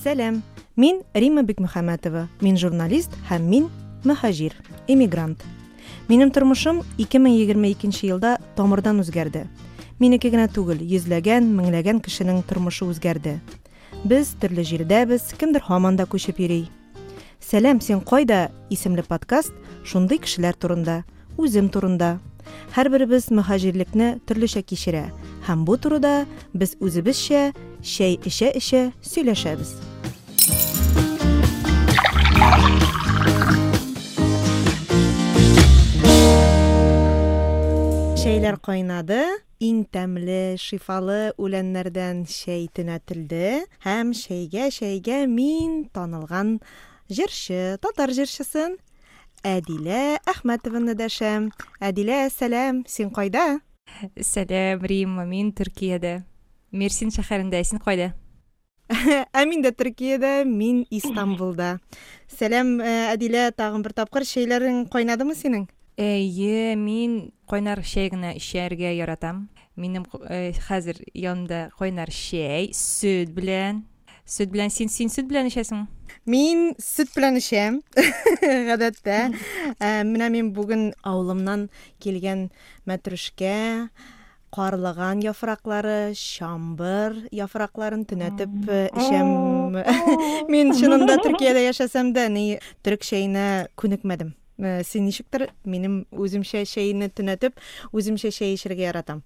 Сәлам, мин Римма Бикмөхәммәтова, мин журналист һәм мин мөһаҗир, эмигрант. Минем тормышым 2022 елда тамырдан үзгәрде. Минеке генә түгел, йөзләгән, меңләгән кешенең тормышы үзгәрде. Без төрле җирдәбез, кемдер һаман да күчеп йөри. Сәлам, син кайда? исемле подкаст шундый кешеләр турында, үзем турында. Һәрберебез мөһаҗирлекне төрлечә кичерә һәм бу турыда без үзебезчә чәй эчә-эчә сөйләшәбез. Чәйләр кайнады, иң тәмле, шифалы үләннәрдән чәй төнәтелде һәм чәйгә чәйгә мин танылган җырчы, татар җырчысын Әдилә Әхмәтованы дәшәм. Әдилә, сәлам, син кайда? Сәлам, Римма, мин Төркиядә. Мерсин шәһәрендә, син кайда? Ә мин дә Төркиядә, мин Истанбулда. Сәлам, э, Әдилә, тагын бер тапкыр чәйләрең кайнадымы синең? Әйе, мин кайнар чәй генә эчәргә яратам. Минем э, хәзер янымда кайнар чәй, сөт белән. Сөт белән син син сөт белән эчәсең? Мин сөт белән эчәм, гадәттә. Э, менә мин бүген авылымнан килгән мәтрүшкә, карлыган яфраклары, чамбыр яфракларын төнәтеп э, эчәм. Мин чынында Төркиядә яшәсәм дә, ни төрек чәенә күнекмәдем. Э, син ничектер, минем үземчә чәйне төнәтеп, үземчә чәй эчәргә яратам.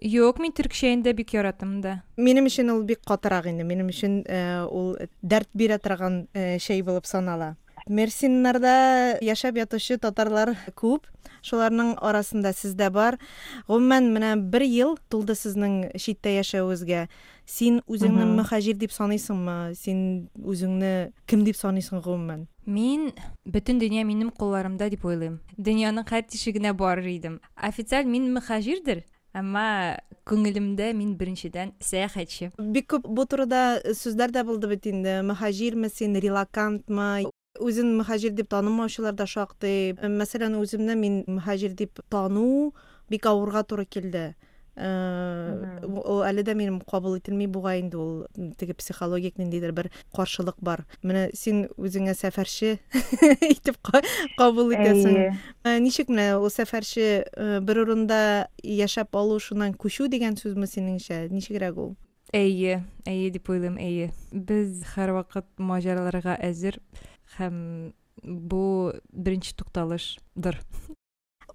Юк, мин төрек чәен дә бик яратам да. Минем өчен ул бик катырак инде. Минем өчен э, ул дәрт бирә торган э, чәй булып санала. Мерсиннарда яшәп ятучы татарлар күп. Шуларның арасында сез дә бар. Гомумән, менә бер ел тулды сезнең читтә яшәвегезгә. Син үзеңне мөхаҗир дип саныйсыңмы? Син үзеңне кем дип саныйсың гомумән? Мин бөтен дөнья минем кулларымда дип уйлыйм. Дөньяның һәр тишегенә барыр идем. Официаль мин мөхаҗирдер, әмма күңелемдә мин беренчедән сәяхәтче. Бик күп бу турыда сүзләр дә булды бит инде. Мөхаҗирме син, релокантмы? Үзен мөһаҗир дип танымаучылар да шактый. Мәсәлән, үземне мин мөһаҗир дип тану бик авырга туры килде. Ул әле дә минем кабул ителми бугай инде ул теге психологик ниндидер бер каршылык бар. Менә син үзеңә сәфәрче итеп кабул итәсең. Ничек менә ул сәфәрче бер урында яшәп алу, шуннан күчү дигән сүзме синеңчә? Ничегрәк ул? Әйе, әйе дип уйлыйм, әйе. Без һәрвакыт маҗараларга әзер һәм бу беренче тукталышдыр.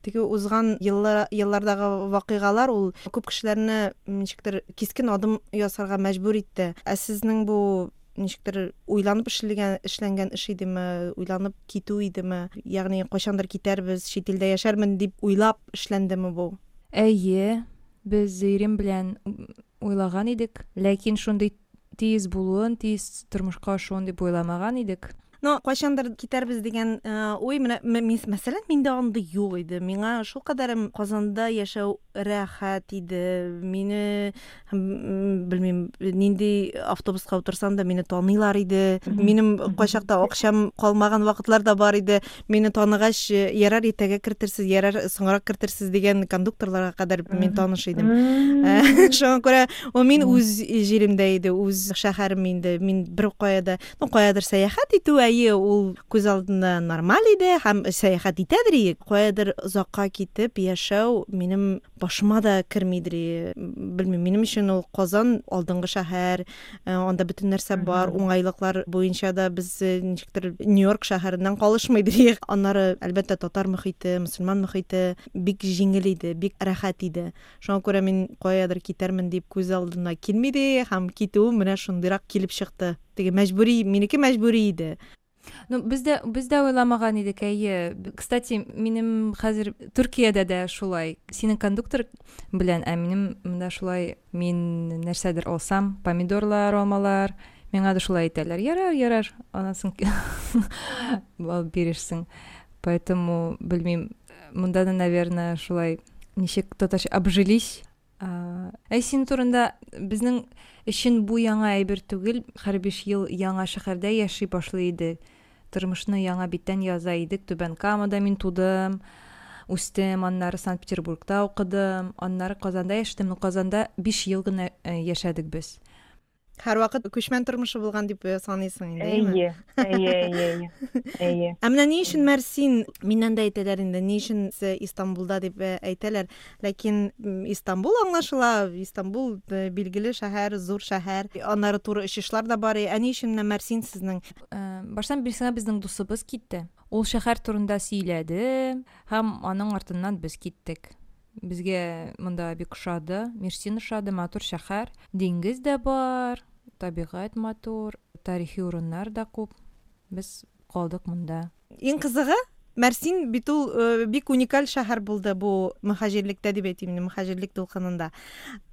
Теге узган еллар, еллардагы вакыйгалар ул күп кешеләрне ничектер кискен адым ясарга мәҗбүр итте. Ә сезнең бу ничектер уйланып эшләгән, эшләнгән эш идеме, уйланып китү идеме? Ягъни кайчандыр китәрбез, чит илдә яшәрмен дип уйлап эшләндеме бу? Әйе, без ирем белән уйлаган идек, ләкин шундый тиз булуын, тиз тормышка ашуын дип уйламаган идек. Но кайчандыр китәрбез дигән э, уй менә мәсәлән миндә андый юк иде. Миңа шулкадәр Казанда яшәү рәхәт иде. Мине белмим, нинди автобуска утырсам да мине таныйлар иде. Минем кайчакта акчам калмаган вакытлар да бар иде. Мине таныгач, э, ярар иртәгә кертерсез, ярар соңрак кертерсез дигән кондукторларга кадәр мин таныш идем. Э, шуңа күрә ул мин үз җиремдә иде, үз шәһәрем инде. Мин бер кая да, ну каядыр сәяхәт итү, әйе, ул күз алдында нормаль иде һәм сәяхәт итәдер идек. Каядыр озакка китеп яшәү минем башыма да кермидер. Белмим, минем өчен ул Казан алдынгы шәһәр, э, анда бөтен нәрсә бар, уңайлыклар буенча да без э, ничектер Нью-Йорк шәһәреннән калышмыйдыр. Аннары, әлбәттә, татар мөхите, мөселман мөхите бик җиңел иде, бик рәхәт иде. Шуңа күрә мин каядыр китәрмен дип күз алдына килмиде һәм китүем менә шундыйрак килеп чыкты. Теге мәҗбүри, минеке мәҗбүри иде. Ну, без дә, без дә уйламаган идек, әйе. Кстати, минем хәзер Төркиядә дә шулай. Синең кондуктор белән, ә минем монда шулай, мин нәрсәдер алсам, помидорлар, алмалар, миңа да шулай әйтәләр. Ярар, ярар, аннан соң алып бирерсең. Поэтому, белмим, монда да, наверное, шулай ничек татарча обжились. Ә син турында безнең өчен бу яңа әйбер түгел, һәр 5 ел яңа шәһәрдә яши башлый иде. Тормышны яңа биттән яза идек. Түбән Камада мин тудым, үстем, аннары Санкт-Петербургта укыдым, аннары Казанда яшәдем. Но Казанда 5 ел гына э, яшәдек без. Һәрвакыт күчмән тормышы булган дип саныйсың инде, әйеме? Әйе, әйе, әйе, әйе. Әйе. Ә менә ни өчен Мәрсин, миннән дә әйтәләр инде, ни өчен Истанбулда дип әйтәләр. Ләкин Истанбул аңлашыла, Истанбул билгеле шәһәр, зур шәһәр. Аннары туры очышлар да бар. Ә ни өчен менә Мәрсин сезнең? Баштан бирсеңә безнең дусыбыз китте. Ул шәһәр турында сөйләде һәм аның артыннан без киттек. Безгә монда бик ошады, Мерсин ошады, матур шәһәр. Диңгез дә бар, табигать матур, тарихи урыннар да күп. Без калдык монда. Иң кызыгы, Мәрсин бит ул бик уникаль шәһәр булды бу мөһаҗирлектә дип әйтим инде, мөһаҗирлек дулкынында.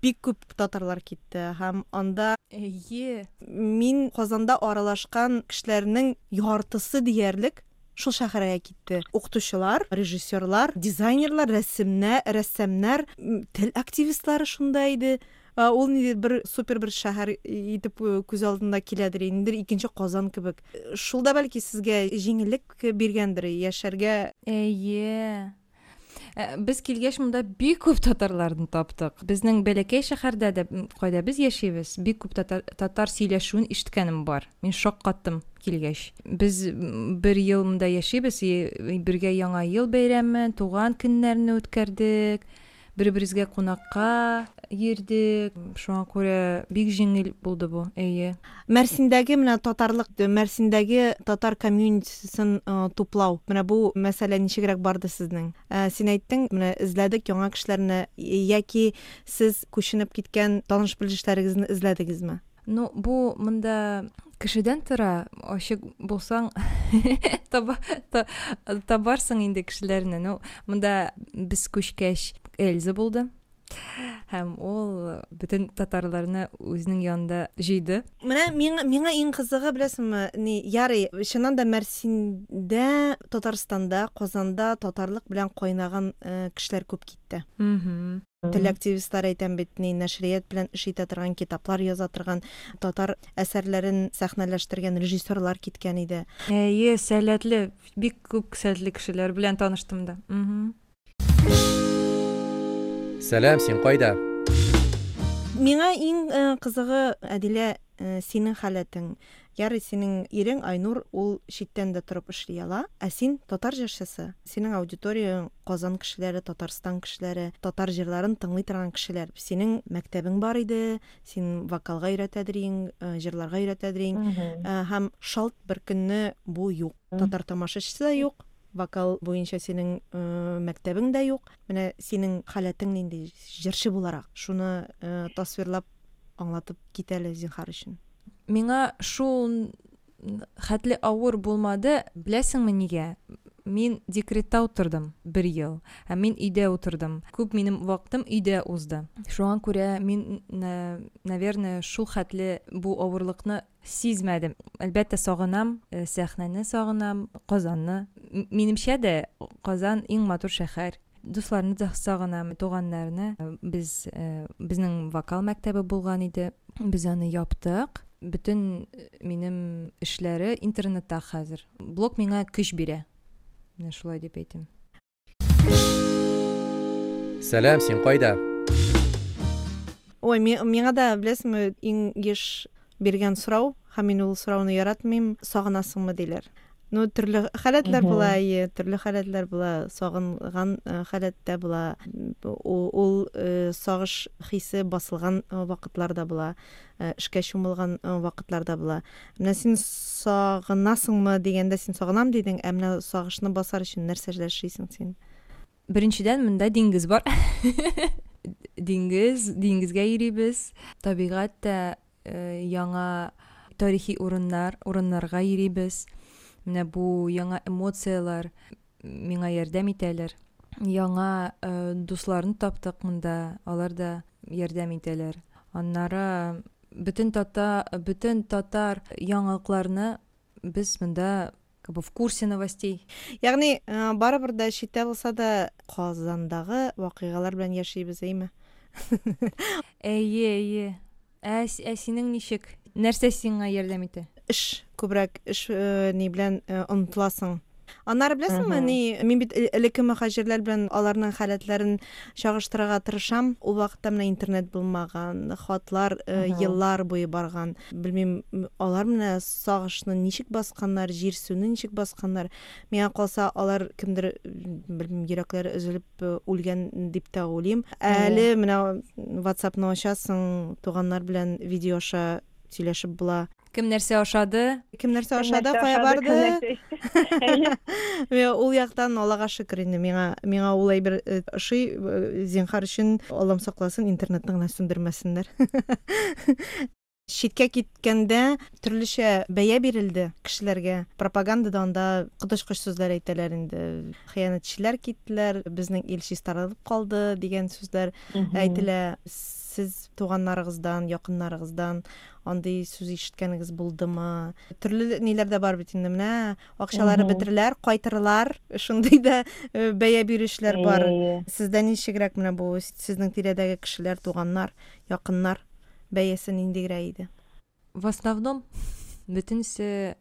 Бик күп татарлар китте һәм анда Әйе. Мин Казанда аралашкан кешеләрнең яртысы диярлек шул шәһәргә китте. Укытучылар, режиссерлар, дизайнерлар, рәсемнә, рәссамнар, тел активистлары шунда иде. Ул ниндидер бер супер бер шәһәр итеп күз алдында киләдер, ниндидер икенче Казан кебек. Шул да бәлки сезгә җиңеллек биргәндер яшәргә. Әйе. Без килгәч монда бик күп татарларны таптык. Безнең бәләкәй шәһәрдә дә, кайда без яшибез, бик күп татар, татар сөйләшүен ишеткәнем бар. Мин шаккаттым килгәч. Без бер ел монда яшибез, бергә Яңа ел бәйрәмен, туган көннәрне үткәрдек. Бер-беребезгә кунакка йөрдек. Шуңа күрә бик җиңел булды бу, әйе. Мәрсиндәге менә татарлык, Мәрсиндәге татар комьюнитисын туплау, менә бу мәсьәлә ничегрәк барды сезнең? Син әйттең, менә эзләдек яңа кешеләрне, яки сез күченеп киткән таныш-белешләрегезне эзләдегезме? Ну, бу монда кешедән тора, ачык булсаң, таба, та, табарсың инде кешеләрне. Ну, монда без күчкәч Эльза булды. Һәм ул бөтен татарларны үзенең янында җыйды. Менә миңа, миңа иң кызыгы, беләсеңме, ни, ярый, чыннан да Мәрсиндә, Татарстанда, Казанда татарлык белән кайнаган кешеләр күп китте. Тел активистлары әйтәм бит, ни, нәшрият белән эш итә торган, китаплар яза торган, татар әсәрләрен сәхнәләштергән режиссерлар киткән иде. Әйе, сәләтле, бик күп сәләтле кешеләр белән таныштым да. Сәлам, син кайда? Миңа иң кызыгы, Әдилә, синең халәтең. Ярый, синең ирең Айнур, ул читтән дә торып эшли ала. Ә син татар җырчысы. Синең аудиторияң Казан кешеләре, Татарстан кешеләре, татар җырларын тыңлый торган кешеләр. Синең мәктәбең бар иде, син вокалга өйрәтәдер иең, җырларга өйрәтәдер иең. Һәм шалт бер көнне бу юк. Татар тамашачысы да юк, вокал буенча синең мәктәбең дә юк. Менә синең халәтең нинди җырчы буларак? Шуны тасвирлап аңлатып кит әле, зинһар өчен. Миңа шул хәтле авыр булмады, беләсеңме нигә? Мин декретта утырдым бер ел, һәм мин өйдә утырдым. Күп минем вакытым өйдә узды. Шуңа күрә мин, наверное, шул хәтле бу авырлыкны сизмәдем. Әлбәттә, сагынам, сәхнәне сагынам, Казанны. Минемчә дә, Казан иң матур шәһәр. Дусларны да сагынам, туганнарны. Без, безнең вокал мәктәбе булган иде. Без аны яптык. Бөтен минем эшләре интернетта хәзер. Блог миңа көч бирә. Менә шулай дип әйтим. Сәлам, син кайда? Ой, миңа да, беләсеңме, иң еш биргән сорау, һәм мин ул сорауны яратмыйм, сагынасыңмы диләр. Ну, төрле халәтләр була, әйе, төрле халәтләр була, сагынган халәттә була. Ул сагыш хисе басылган вакытлар да була, эшкә чумылган вакытлар да була. Менә син сагынасыңмы дигәндә, син сагынам дидең, ә менә сагышны басар өчен нәрсә эшлисең син? Беренчедән, монда диңгез бар. Диңгез, диңгезгә йөрибез. Табигать тә яңа тарихи урыннар, урыннарга йөрибез. Менә бу яңа эмоцияләр миңа ярдәм итәләр. Яңа дусларны таптык монда, алар да ярдәм итәләр. Аннары бөтен тата, бөтен татар яңалыкларны без монда как бы в курсе новостей. Ягъни, барыбер дә читтә булса да Казандагы вакыйгалар белән яшибез, әйме? Әйе, әйе. Ә, ә синең ничек? Нәрсә сиңа ярдәм итә? Эш күбрәк, эш ни белән омтыласың. Аннары беләсеңме, ни, мин бит элекке мөхаҗирләр белән аларның халәтләрен чагыштырырга тырышам. Ул вакытта менә интернет булмаган, хатлар еллар буе барган. Белмим, алар менә сагышны ничек басканнар, җирсүне ничек басканнар. Миңа калса, алар кемдер, белмим, йөрәкләре өзелеп үлгән дип тә уйлыйм. Әле менә WhatsApp-ны ачасың, туганнар белән видео аша сөйләшеп була. Кем нәрсә ашады? Кем нәрсә ашады, кая барды? Ул яктан Аллага шөкер инде, миңа миңа ул әйбер э, ошый, э, зинһар өчен Аллам сакласын, интернетны гына сүндермәсеннәр. Читкә киткәндә төрлечә бәя бирелде кешеләргә. Пропагандада анда коточкыч сүзләр әйтәләр инде. Хыянәтчеләр киттеләр, безнең ил чистарылып калды дигән сүзләр әйтелә. Сез туганнарыгыздан, якыннарыгыздан андый сүз ишеткәнегез булдымы? Төрле ниләр дә бар бит инде. Менә акчалары бетереләр, кайтырылар. Шундый да э, бәя бирүчеләр бар. Сездә ничегрәк менә бу сезнең тирәдәге кешеләр, туганнар, якыннар бәясе ниндигрәк иде? В основном бөтенесе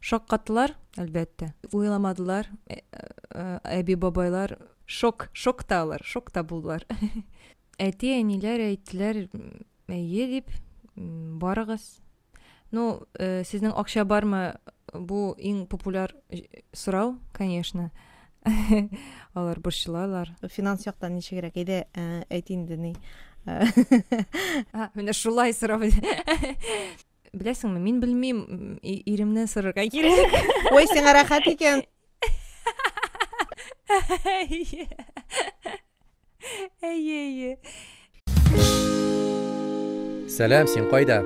шаккаттылар, әлбәттә. Уйламадылар. Э, э, әби-бабайлар шок, шокта алар, шокта булдылар. Әти-әниләр әйттеләр, әйе дип, барыгыз. Ну, э, сезнең акча бармы? Бу иң популяр сорау, конечно. Алар борчылалар. Финанс яктан ничегрәк? Әйдә, э, әйт инде ни. Менә шулай сорау. Беләсеңме, мин белмим, иремнән сорарга кирәк. Ой, сиңа рәхәт икән. Әйе, әйе. Сәлам, син кайда?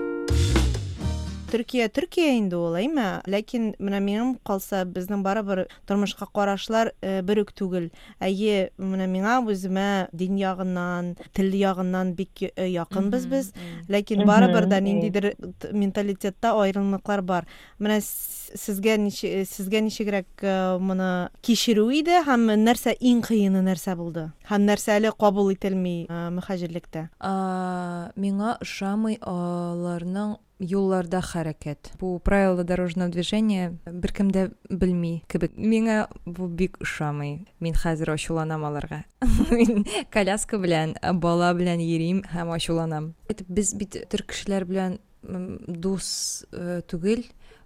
Төркия Төркия инде ул, әйме? Ләкин менә минем калса, безнең барыбер тормышка карашлар э, бер үк түгел. Әйе, менә миңа үземә дин ягыннан, тел ягыннан бик э, якынбыз без. Ләкин барыбер дә ниндидер менталитетта аерымлыклар бар. Менә сезгә сезгә ничегрәк моны кичерү иде һәм нәрсә иң кыены нәрсә булды? Һәм нәрсә әле кабул ителми мөхаҗирлектә? Миңа ошамый аларның юлларда хәрәкәт. Бу правила дорожного движения беркем дә белми кебек. Миңа бу бик ошамый. Мин хәзер ачуланам аларга. Мин коляска белән, бала белән йөрим һәм ачуланам. Без бит төрк кешеләр белән дус э, түгел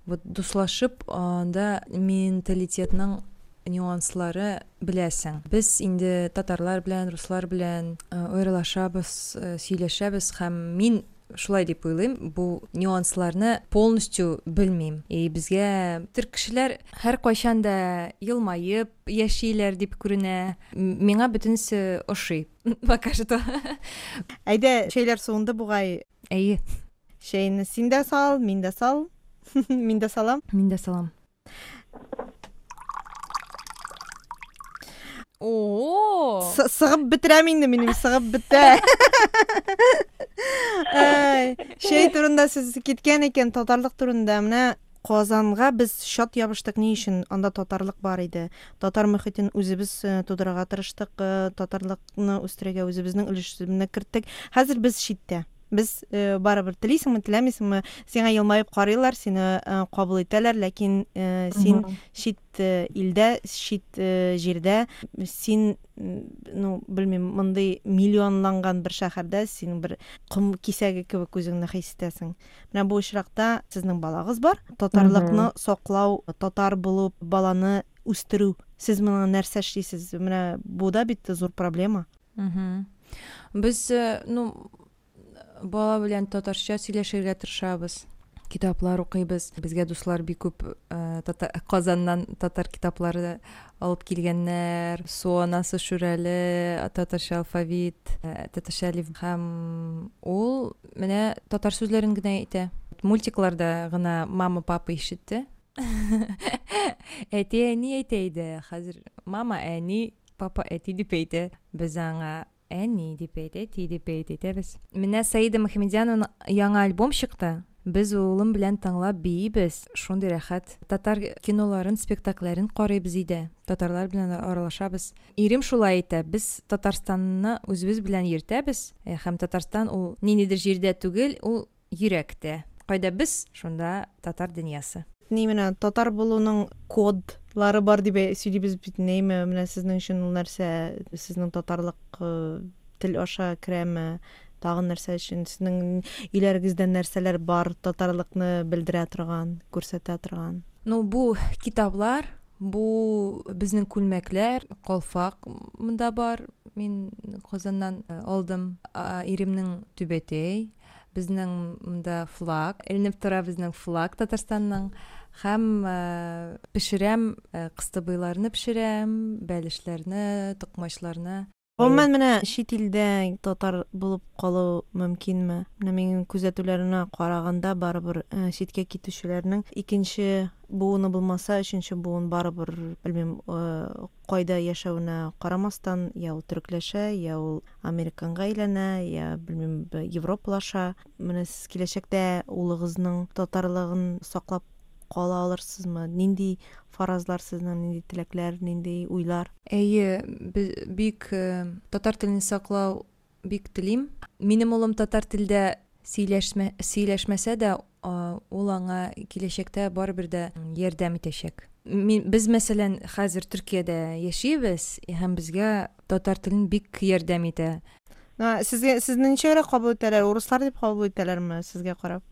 вот дуслашып анда менталитетның нюанслары беләсең без инде татарлар белән руслар белән э, аралашабыз э, сөйләшәбез һәм мин шулай дип уйлыйм бу нюансларны полностью белмим и безгә төрк кешеләр һәркайчан да елмаеп яшиләр дип күренә миңа бөтенесе ошый пока что әйдә чәйләр суынды бугай Әйе. Чәйне син дә сал, мин дә сал. Мин дә салам. Мин дә салам. О! Сыгып бетерәм инде минем, сыгып бетә. Әй, чәй турында сүз киткән икән, татарлык турында. Менә Казанга без чат ябыштык ни өчен? Анда татарлык бар иде. Татар мөхитен үзебез э, тудырырга тырыштык, э, татарлыкны үстерергә үзебезнең өлешебезне керттек. Хәзер без читтә. Без э, барыбер телисеңме, теләмисеңме, сиңа елмаеп карыйлар, сине кабул итәләр, ләкин син чит илдә, чит җирдә, син ну, белмим, мондый миллионланган бер шәһәрдә син бер ком кисәге кебек үзеңне хис итәсең. Менә бу очракта сезнең балагыз бар. Татарлыкны саклау, татар булып баланы үстерү. Сез моңа нәрсә эшлисез? Менә бу да бит зур проблема. Без, э, ну, бала белән татарча сөйләшергә тырышабыз. Китаплар укыйбыз. Безгә дуслар бик күп э, Казаннан татар китаплары алып килгәннәр. Су анасы Шүрәле, татарча алфавит, э, татарча әлиф һәм ул менә татар сүзләрен генә әйтә. Мультикларда гына мама, папа ишетте. Әти, әни әйтә иде. Хәзер мама, әни, папа, әти дип әйтә. Без аңа Әни дип әйт, әти дип әйт, әйтәбез. Менә Саида Мөхәммәдьянованың яңа альбом чыкты. Без улым белән тыңлап биибез, шундый рәхәт. Татар киноларын, спектакльләрен карыйбыз өйдә, татарлар белән аралашабыз. Ирем шулай әйтә, без Татарстанны үзебез белән йөртәбез, һәм Татарстан ул ниндидер җирдә түгел, ул Йөрәктә. Кайда без, шунда татар дөньясы. Ни менә татар булуның код Лары бар дип сөйлибез бит, нәйме? Менә сезнең өчен ул нәрсә? Сезнең татарлык тел аша керәме? Тагын нәрсә өчен? Сезнең өйләрегездә нәрсәләр бар татарлыкны белдерә торган, күрсәтә торган? Ну, бу китаплар, бу безнең күлмәкләр, калфак монда бар. Мин Казаннан алдым. Иремнең түбәтәй, безнең монда флаг, эленеп тора безнең флаг Татарстанның. Һәм пешерәм, кыстыбыйларны пешерәм, бәлешләрне, токмачларны. Гомумән, менә чит илдә татар булып калу мөмкинме? Менә минем күзәтүләремә караганда, барыбер читкә китүчеләрнең икенче буыны булмаса, өченче буын барыбер, белмим, кайда яшәвенә карамастан, я ул төрекләшә, я ул американга әйләнә, я, белмим, европалаша. Менә сез киләчәктә улыгызның татарлыгын саклап кала алырсызмы? Нинди фаразлар сезнең, нинди теләкләр, нинди уйлар? Әйе, бик татар телен саклау бик телим. Минем улым татар телдә сөйләшмә, сөйләшмәсә дә, ул аңа киләчәктә барыбер дә ярдәм итәчәк. Мин, без, мәсәлән, хәзер Төркиядә яшибез, һәм безгә татар телен бик ярдәм итә. Сезгә, сезне ничегрәк кабул итәләр? Урыслар дип кабул итәләрме сезгә карап?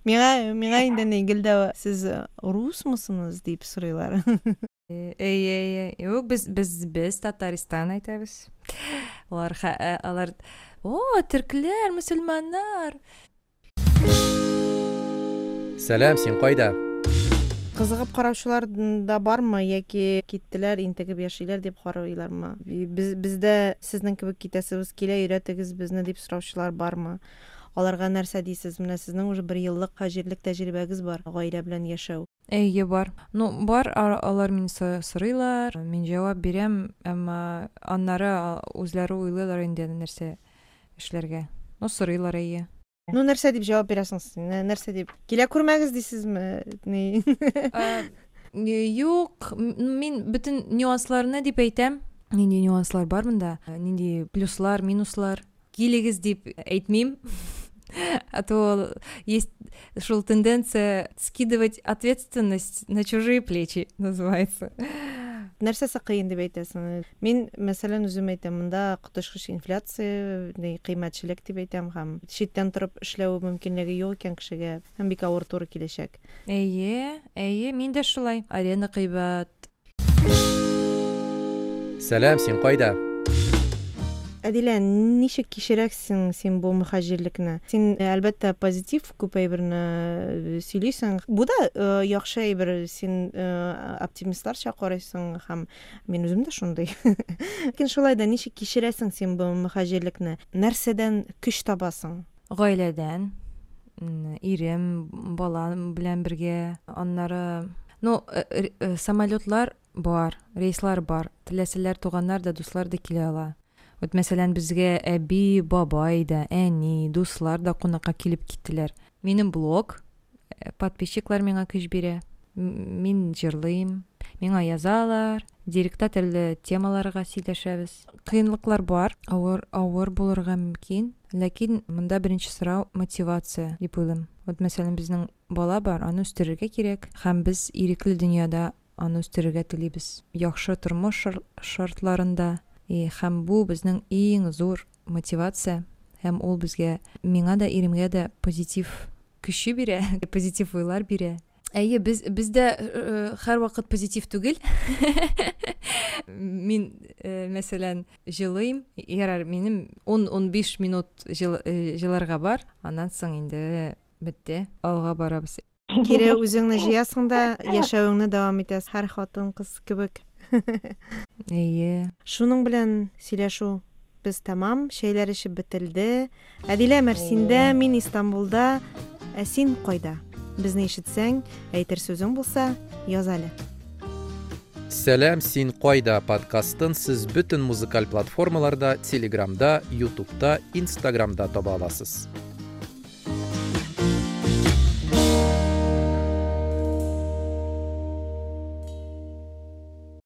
Миңа, миңа инде ни, гел дә сез русмысыңыз дип сорыйлар. Әйе, әйе. Юк, без без без Татарстан әйтәбез. Алар алар о, төркләр, мөселманнар. Сәлам, син кайда? Кызыгып караучылар да бармы яки киттеләр, интегеп яшиләр дип карыйлармы? Без бездә сезнең кебек китәсебез килә, өйрәтегез безне дип сораучылар бармы? Аларга нәрсә дисез? Менә сезнең уже бер еллык һаҗирлек тәҗрибәгез бар, гаилә белән яшәү. Әйе, бар. Ну, бар, алар мине сорыйлар, мин җавап бирәм, әмма аннары үзләре уйлыйлар инде нәрсә эшләргә. Ну, сорыйлар, әйе. Ну, нәрсә дип җавап бирәсең син? Нәрсә дип? Килә күрмәгез дисезме? Ни? Юк, мин бөтен нюансларны дип әйтәм. Нинди нюанслар бар монда? Нинди плюслар, минуслар? Килегез дип әйтмим. А то есть шул тенденция скидывать ответственность на чужие плечи, называется. Нәрсәсе кыен дип әйтәсең? Мин, мәсәлән, үзем әйтәм, монда коточкыч инфляция, кыйммәтчелек дип әйтәм, һәм читтән торып эшләү мөмкинлеге юк икән кешегә, һәм бик авыр туры киләчәк. Әйе, әйе, мин дә шулай. Аренда кыйбат. Сәлам, син кайда? Әдилә, ничек кичерәсең син бу мөхаҗирлекне? Син, әлбәттә, позитив күп әйберне сөйлисең. Бу да яхшы әйбер, син оптимистларча карыйсың һәм мин үзем дә шундый. Ләкин шулай да ничек кичерәсең син бу мөхаҗирлекне? Нәрсәдән көч табасың? Гаиләдән, ирем, балам белән бергә. Аннары, ну, самолетлар бар, рейслар бар. Теләсәләр туганнар да, дуслар да килә ала. Вот, мәсәлән, безгә әби, бабай да, әни, дуслар да кунакка килеп киттеләр. Минем блог, подписчиклар миңа көч бирә. Мин җырлыйм, миңа язалар, директта төрле темаларга сөйләшәбез. Кыенлыклар бар, авыр, авыр булырга мөмкин, ләкин монда беренче сорау мотивация дип уйлыйм. Вот, мәсәлән, безнең бала бар, аны үстерергә кирәк, һәм без ирекле дөньяда аны үстерергә телибез. Яхшы тормыш шартларында, и һәм бу безнең иң зур мотивация, һәм ул безгә, миңа да, иремгә дә позитив көче бирә, позитив уйлар бирә. Әйе, без без дә һәрвакыт позитив түгел. Мин, мәсәлән, җылыйм. Ярар, минем 10-15 минут җыларга бар. Аннан соң инде бетте. Алга барабыз. Кире үзеңне җыясың да, яшәвеңне дәвам итәсең, һәр хатын-кыз кебек. Әйе. Шуның белән сөйләшү без тәмам, чәйләр эчеп бетелде. Әдилә Мәрсиндә, мин Истанбулда, ә син кайда? Безне ишетсәң, әйтер сүзең булса, яз әле. Сәлам, син кайда подкастын сез бөтен музыкаль платформаларда, Телеграмда, Ютубта, Инстаграмда таба аласыз.